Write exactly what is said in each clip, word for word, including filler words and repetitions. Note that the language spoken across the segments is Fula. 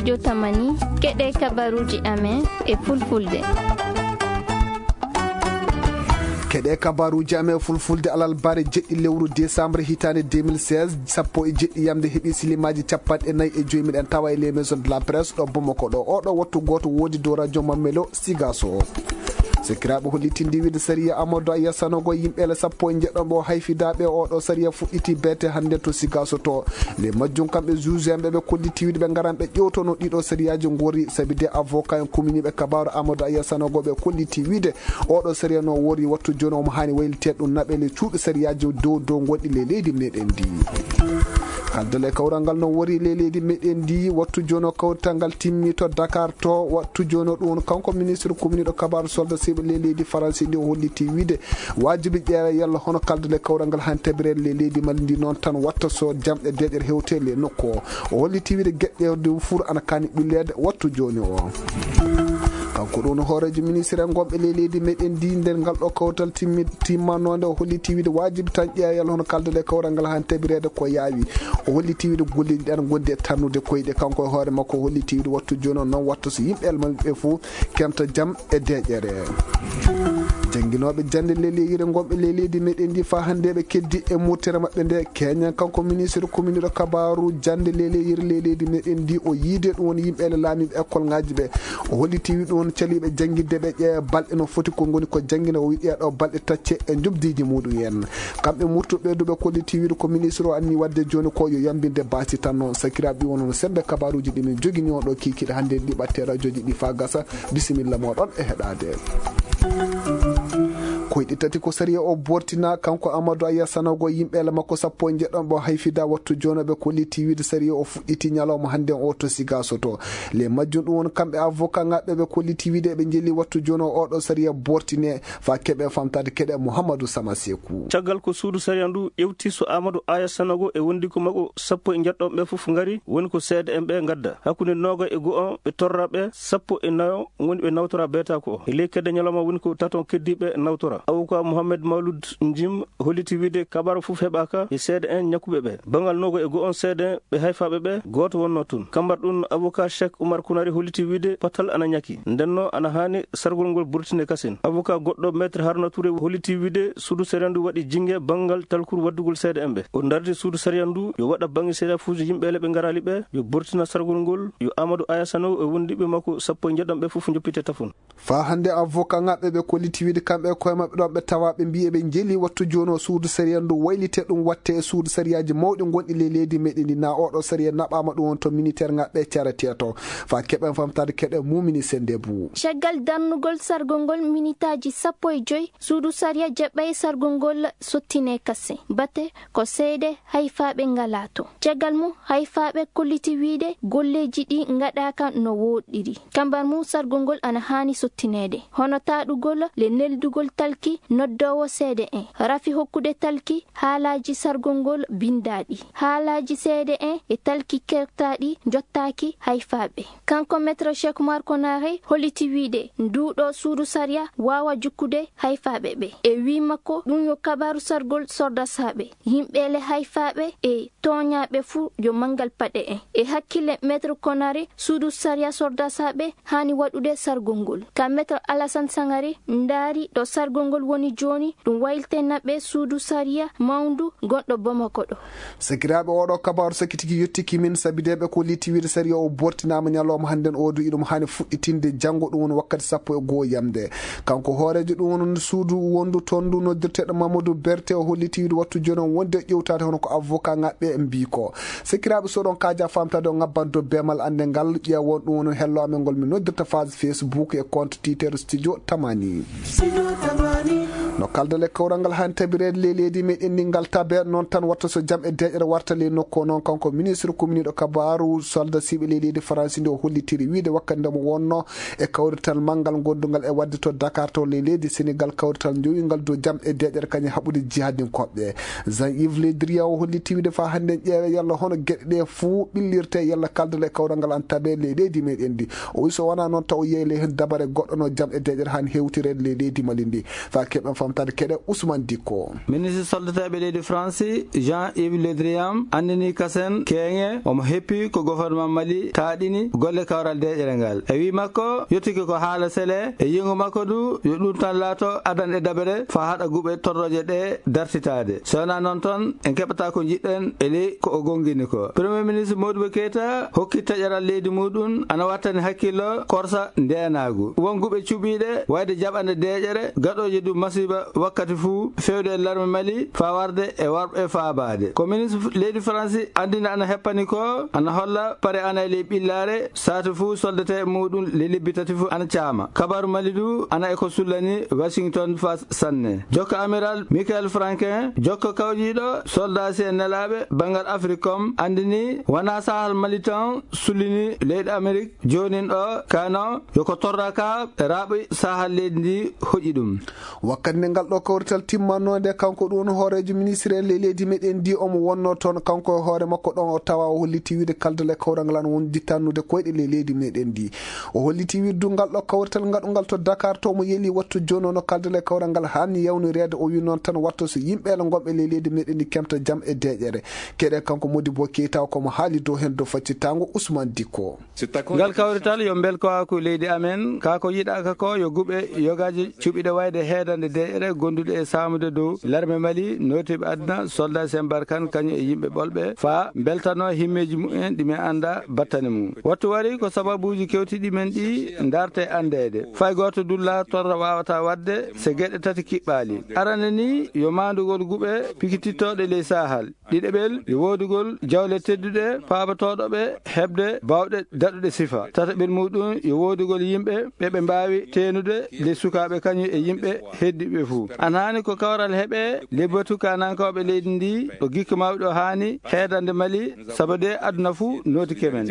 Yo tamani, keɗe kabaruuji amen e fulfulde. Keɗe kabaruuji amen e fulfulde alarba jeɗɗi lewru décembre hitaande deux mille seize, sappo e jeɗɗi yamde heɓi silimaaji capanɗe nayi e joyi. Miɗen tawa e les maisons de la presse ɗo Bamako ɗo. Oɗo wattu gooto woodi dow radio Mamelo Sigaso. Sekiraaɓe hollitindi wiide sariya Amadou Aya Sanogo yimɓe le sappo e njeɗɗo ɓe o hayfidaaɓe oɗo sariya fuɗɗiti beete hannde to Sigaso to. Le majjum kamɓe juge en ɓe ɓe kolliti wiide ɓe ngaran ɓe ƴewtono ɗiɗo sariyaaji ngori sabi de avocat en kuminiiɓe kabaaru Amadou Aya Sanogo ɓe kolliti wiide oɗo sariya no wori wattu jooni omo haani wayliteede ɗum naɓe le cuuɗi sariyaaji dow dow gonɗi le leydi meɗen ndi. Kaldal e kawral ngal no wori le leydi meɗen ndi wattu jooni o kawrital ngal timmi to Dakar to wattu jooni o ɗum kanko ministre kuminiiɗo kabaaru solda siɓe le leydi Faransi ndi o holliti wiide waajibi ƴeewa yalla hono kaldal e kawral ngal han tabireede le leydi Mali ndi noon tan watta so jam e deeƴere hewte le nokku o. O holliti wiide geɗɗe de fur ana kaani ɓilleede wattu jooni o. Kanko ɗum hooreejo ministre en gonɓe ley leydi meɗen ndi nder ngal ɗo kawtal timmi timmanoonde o holliti wiide waajibi tan ƴeewa yalla hono kaldal e kawral ngal han tabireede ko yaawi. O holliti wiide golleeji ɗi ana ngondi e tannude koyɗe kanko e hoore makko o holliti wiide wattu jooni o noon watta so yimɓe elma ɓe fof kenta jam e deeƴere. Jannginooɓe jannde leleyire ngonɓe ley leydi meɗen ndi faa hannde ɓe keddi e murtere maɓɓe nde keñan kanko ministre kuminiiɗo kabaaru jannde leleyire ley leydi meɗen ndi o yiide ɗum woni yimɓe ele laamiiɓe école ngaji ɓe. O holliti wi ɗum caliiɓe janngidde ɓe ƴeewa balɗe no foti ko ngoni ko janngina o wiɗi ɗo balɗe tacce e njobdiiji muɗum en. Kamɓe murtuɓe duɓe kolliti wiɗo ko ministre o anni wadde jooni ko yo yambinde baasi tan noon sakiraaɓe ɗi wonono sembe kabaruuji ɗi min jogini on ɗo kiikiiɗe hannde ɗi ɓatte rajoji ɗi faa gasa. Bisimilla moɗon e heɗaade. Koyɗi tati ko sariya o bortina kanko Amadou Aya Sanogo yimɓe ele makko sappo e njeɗɗon ɓe o hayfida wattu jooni ɓe kolliti wiide sariya o fuɗɗiti ñalawma hannde o to Sigaso to. Le majjum ɗum won kamɓe avocat ngaɓɓe ɓe kolliti wiide ɓe jeli wattu jooni o oɗo sariya bortine faa keɓe famtaade keɗe Mouhamadou Sama Seku. Caggal ko suudu sariya ndu ƴewti so Amadou Aya Sanogo e wondiiko makko sappo e njeɗɗon ɓe fof ngari woni ko seede en ɓe ngadda hakkunde nooga e go'o ɓe torra ɓe sappo e nayo woni ɓe nawtora beetaako o. E ley kedde ñalawma woni ko taton keddiiɓe nawtora. Avocat Mohamed Mawlud Njim holliti wiide kabaru fof heɓaaka e seede en ñakkuɓe ɓe. Banngal nooga e go'o on seede en ɓe hayfaaɓe ɓe gooto wonnoo toon. Kambar ɗum avocat Cheikh Oumar Kounari holliti wiide patal ana ñaki. Ndennoo ana haani sargol ngol burtine kasin. Avocat goɗɗo Maître Haruna Touré holliti wiide suudu sariya ndu waɗi jinge banngal talkuru waddugol seede en ɓe. O dardi suudu sariya ndu yo waɗa bannge sariya fuuji yimɓe ele ɓe ngaraali ɓe, yo burtina sargol ngol, yo Amadou Aya Sanogo e wondiiɓe makko sappo e njeɗɗon ɓe fof njoppite tafon. Faa hannde avocat ngaɓɓe ɓe kolliti wiide kamɓe e koye maɓɓe ɗon ɓe tawa ɓe mbiyi eɓe jeli wattu jooni o suudu sariya ndu waylite ɗum watte e suudu sariyaaji mawɗi gonɗi ley leydi meɗen ndi na oɗo sariya naɓaama ɗum won to militaire ngaɓɓe carete to. Faa keɓen famtaade keɗe mumini sende bu. Caggal darnugol sargol ngol minitaaji sappo e joy suudu sariya jaɓɓay sargol ngol sottine kase bate ko seede hayfaaɓe ngalaa to. Caggal mum hayfaaɓe kolliti wiide golleeji ɗi ngaɗaaka no wooɗɗiri. Kambar mum sargol ngol ana haani sottineede hono taaɗugol le neldugol talki noddoowo seede en rafi hokkude talki haalaaji sargol ngol binndaaɗi haalaaji seede en e talki kertaaɗi njottaaki hayfaaɓe. Kanko Maître Cheikh Oumar Konaré holliti wiide nduuɗo suudu sariya waawa jukkude hayfaaɓe ɓe. E wii makko ɗum yo kabaru sargol sordasaaɓe, yimɓe le hayfaaɓe e tooñaaɓe fuu yo manngal paɗe en. E hakkille Maître Konaré suudu sariya sordasaaɓe haani waɗude sargol ngol. Ka Maître Alassane Sangaré ndaari ɗo sargol ngol woni jooni ɗum waylitena ɓe suudu sariya mawndu gonɗo Bamako ɗo. Sakiraaɓe oɗo kabaru sakitiki yettiki min sabi de ɓe ko litti wiide sariya o bortinaama ñalawma hannden o du iɗum haani fuɗɗitinde janngo ɗum woni wakkati sappo e goo yamde. Kanko hooreejo ɗum woni suudu wondu toon ndu noddirteeɗo Mamadou Berté o holliti wiide wattu jooni on wonde ƴewtaade hono ko avocat ngaɓɓe mbii ko. Sakiraaɓe soɗon kaaja famtaade o ngabban dobbeemal annde ngal ƴeewon ɗum woni hello amen ngol mi noddirta phase Facebook e compte Twitter Studio Tamani. No kaldal e kawral ngal haa tabireede ley leydi meɗen ndi ngal tabe noon tan watta so jam e deeƴere warta ley nokku o noon kanko ministre kuminiiɗo kabaaru solda siɓe ley leydi Faransi ndi o hollitiri wiide wakkati nde mo wonno e kawrital manngal gondungal e waɗde to Dakar to ley leydi Senegal kawrital jowingal dow jam e deeƴere kañum haɓude jihadinkooɓe. Jean Yves Le Drian o holliti wiide faa hannden ƴeewe yalla hono geɗe ɗe fuu ɓillirte yalla kaldal e kawral ngal an tabe ley leydi meɗen ndi. O wi so wonaa noon taw yeeyle heen dabare goɗɗo no jam e deeƴere haan hewtireede ley leydi Mali ndi. Faa keɓen Tade keɗe Ousmane Dikko. Ministre soldateeɓe leydi France, Jean-Yves Le Drian, anndini kasen keeŋe omo heppi ko gouvernement Mali taaɗini golle kawral deeƴere ngal. E wii makko, yottike ko haala sele, e yiingo makko du, yo ɗum tan laato adan e dabere faa haɗa guɓe torrooje ɗe dartitaade. So wonaa noon toon, en keɓataa ko njiɗɗen e ley ko o gonngini ko. Premier ministre Modibo Keita hokki taƴaral leydi muɗum ana wattani hakkillo korsa ndeenaagu. Won guɓe cuɓiiɗe wayde jaɓande deeƴere, gaɗooje du masiiba wakkati fuu, feewde e larme Mali faa warde e warɓe faabaade. Ko ministre leydi Faransi anndina ana heppani ko, ana holla pare ana e ley ɓillaare, saatu fuu soldatee muɗum le lebbi tati fuu ana caama. Kabaaru Mali du ana e ko sullani Washington faa sanne. Jokka Amiral Michael Franquin, jokka kawjiiɗo soldaasi en nelaaɓe banngal Africom, anndini wonaa Sahal Mali tan sullini leyɗe Amerik joonin ɗo, kano yo ko torra ka raaɓi Sahal leydi ndi hoƴi ɗum. Wakkati nde ngal ɗo kawrital timmanno nde, kanko ɗum hooreejo ministre en ley leydi meɗen ndi omo wonno toon, kanko e hoore makko ɗon o tawa o holliti wiide kaldal e kawral ngal ana wondi tannude koyɗe ley leydi meɗen ndi. O holliti wiide du ngal ɗo kawrital ngaɗungal to Dakar to mo yeli wattu jooni o no kaldal e kawral ngal hanni yawnireede. O wi noon tan wattu so yimɓe ele ngonɓe ley leydi meɗen ndi kemta jam e deeƴere. Keɗe kanko Modibo Keita ko mo haali dow heen dow faccitango Ousmane Dikko. Ngal kawrital yo mbelkowaaku leydi amen, kaa ko yiɗaaka ko yo guɓe yogaaji cuɓiɗe wayde heedande deeƴere gondude e saamude dow larme Mali, nootiiɓe aduna, soldat Sen Barkan, kañum e yimɓe ɓolɓe, faa mbeltanoo himmeeji mumen ɗi men annda battane mum. Wattu wari ko sababuuji kewtiiɗi men ɗi ndarte anndeede. Fay gooto dulla torra waawataa waɗde se geɗe tati kiɓɓaali. Arande ni yo maandugol guɓe pikitittooɗe ley Sahal. Ɗiɗaɓel, yo woodugol jawle tedduɗe paabatooɗo ɓe heɓde baawɗe daɗuɗe sifa. Tataɓel muɗum, yo woodugol yimɓe ɓe ɓe mbaawi teenude ley sukaaɓe kañum e yimɓe heddiɓe fuu. Ana haani ko kawral heɓe ley batu kaanankooɓe leydi ndi, o gikka mawɗo haani heedande Mali, sabu de aduna fuu nootike men.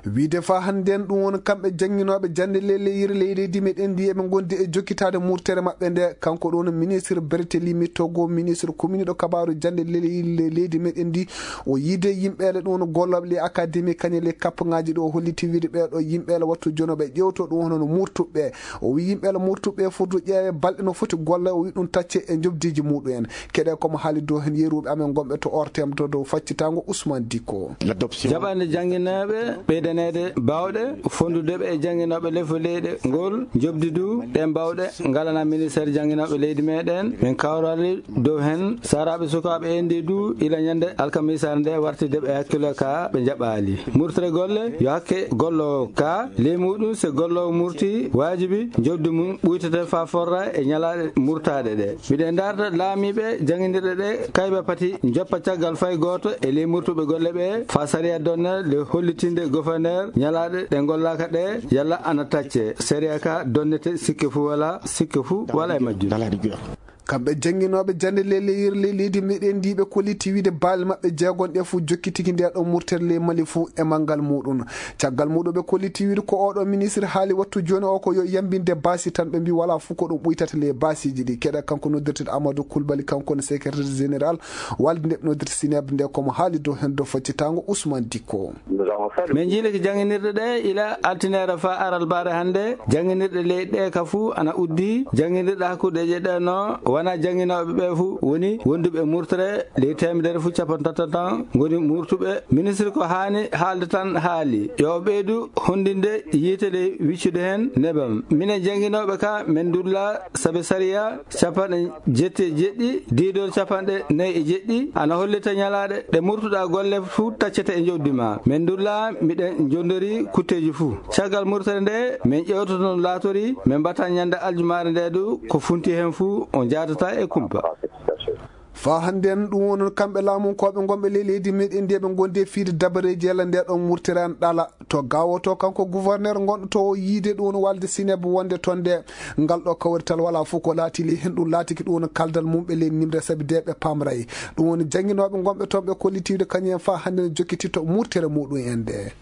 Wiide faa hannden ɗum woni kamɓe jannginooɓe jannde leleyir ley leydi meɗen ndi eɓe ngondi e jokkitaade murtere maɓɓe nde. Kanko ɗo no ministre Berthelemy Togo, ministre kuminiiɗo kabaaru jannde leleyir ley leydi meɗen ndi. O yiide yimɓeele ɗum no gollooɓe ley akademi kañe ley kappaŋaaji ɗo o holliti wiide ɓee ɗo yimɓeele wattu jono ɓe ƴeewto ɗum hono no murtuɓe. O wi yimɓeele murtuɓe foti ƴeewe balɗe no foti golle, o wi ɗum tacce e njoɓdiiji muɗum en. Keɗe komo haali dow heen yeruɓe amen gonɓe to O R T M to dow faccitango Ousmane Dikko. Jaɓande jannginooɓe ɓeydaneede baawɗe fonndudeɓe e jannginooɓe lefo leyɗe ngol njoɓdi du ɗen baawɗe ngalana ministeer jannginooɓe leydi meɗen. Min kawrali dow heen saraaɓe sukaaɓe en ndi du ila ñande alkamisaare nde warti deɓe hakkilo ka ɓe jaɓaali. Murtere golle yo hakke golloowo ka ley muɗum se golloowo murti waajibi njoɓdi mum ɓuytete faa forra e ñalaaɗe murtaaɗe ɗe. Miɗen ndaarta laamiiɓe janngindirɗe ɗe kayba pati njoppa caggal fay gooto e ley murtuɓe golle ɓe faa sariya donna le hollitinde gofaneer ñalaaɗe ɗe ngollaaka ɗe yalla ana tacce. Sariya ka donnete sikke fuu wala, sikke fuu wala e majjum. Kamɓe jannginooɓe jannde leleyir ley leydi meɗen ndi ɓe kolliti wiide baali maɓɓe jeegon ɗe fuu jokkitiki nde ɗo murtere ley Mali fuu e manngal muɗum. Caggal muɗum ɓe kolliti wiide ko oɗo ministre haali wattu jooni o ko yo yambinde baasi tan ɓe mbi wala fuu ko ɗum ɓuytata ley baasiiji ɗi. Keɗa kanko noddirteɗo Amadou Koulibaly kanko ne secrétaire général walde nde ɓe noddirta Sineb nde komo haali dow heen dow faccitango Ousmane Dikko. Min njiilike jannginirɗe ɗe ila altine faa aralbaare hannde. Jannginirɗe ley ɗe ka fuu ana uddi. Jannginirɗe hakkundeeje ɗe no wona jannginooɓe ɓe fuu woni wonduɓe murtere ley teemedere fuu capanɗe tati tan ngoni murtuɓe. Ministre ko haani haalde tan haali. Yo o ɓeydu honndinde yiite ley wiccude heen nebam. Minen jannginooɓe ka min ndulla sabe sariya capanɗe jetti e jeɗɗi, diidol capanɗe nayi e jeɗɗi, ana hollita ñalaaɗe ɗe murtuɗaa golle fuu taccete e njoɓdi ma. Min ndulla miɗen njondori kutteeji fuu. Caggal murtere nde, min ƴeewtoto no laatori, min mbata ñande aljumaare nde du, ko funti heen fuu o jaatata e kumpa. Faa hannden ɗum wonno kamɓe laamunkooɓe ngonɓe ley leydi meɗen ndi ɓe ngondi e fiide dabareeji yalla nde ɗon murtere ana ɗala. To gawoto kanko gouverneur ngonɗo to o yiide ɗum woni walde Sineb wonde toon nde ngal ɗo kawrital wala fof ko laati ley heen ɗum laatiki ɗum woni kaldal mum ɓe ley nimre sabi de ɓe pamray. Ɗum woni jannginooɓe ngonɓe toon ɓe kollitiiɓe kañum en faa hannde no jokkititto murtere muɗum en nde.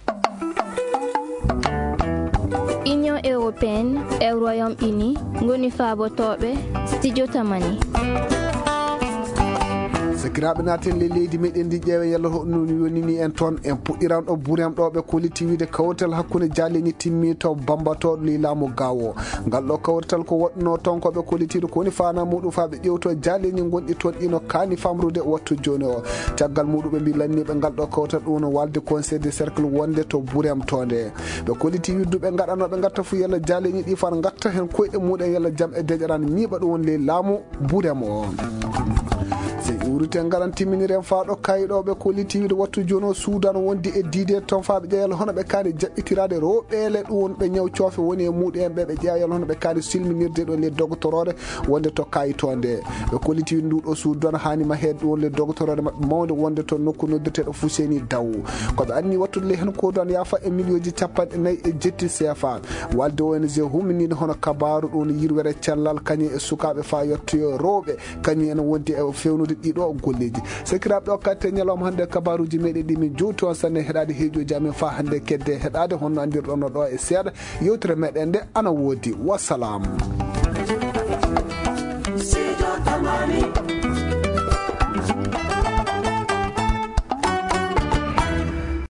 Union européenne e Royaume-Uni ngoni faabotooɓe studio Tamani. Sakiraaɓe, naaten ley leydi meɗen ndi, ƴeewen yalla hoɗum woni ni en toon. En puɗɗiran ɗo Burem ɗo ɓe kolliti wiide kawrital hakkunde jaaleeji timmi to Bamba to ley laamu Gaawo. Ngal ɗo kawrital ko waɗɗunoo toon ko ɓe kollitiiɗo ko woni faanaa muɗum faa ɓe ƴeewto jaaleeji gonɗi toon ɗi no kaani famrude wattu jooni o. Caggal muɗum ɓe mbii lanniiɓe ngal ɗo kawrital ɗum no walde conseil de cercle wonde to Burem to nde. Ɓe kolliti wiide ɓe ngaɗanoo ɓe ngatta fof yalla jaaleeji ɗi faa ngatta heen koyɗe muɗum yalla jam e deƴƴere ana ñiiɓa ɗum woni ley laamu Burem o. So iwriten ngaran timminiren faa ɗo kayi ɗo ɓe kolliti wiide wattu jooni o suudan wondi e diide toon faa ɓe ƴeewa yalla hono ɓe kaani jaɓɓitiraade rewɓe le ɗum woni ɓe ñaw coofe woni e muɗum en ɓe ɓe ƴeewa yalla hono ɓe kaani silminirde ɗo le dogotoroore wonde to kayi to nde. Ɓe kolliti wiide ndu ɗo suudan haani maheede ɗum woni le dogotoroore maɓɓe mawnde wonde to nokku noddirteeɗo Fuseni Daw. Ko ɓe anni wattude le heen ko dan yaafa e miliyonji capanɗe nayi e jetti seefa. Walde O N G humminiiɗo hono kabaaru ɗum yirwere cellal kañum e sukaaɓe faa yettoyo rewɓe kañum ene wondi e fewnude ɗiɗo golleeji. Sakiraaɓe, ɗo katte ñalawma hannde kabaaruuji meɗen ɗi min jowti on sanne heɗaade heeƴooji amen faa hannde kedde heɗaade honno anndirɗon no ɗo e seeɗa yewtere meɗen nde ana woodi. Wassalam.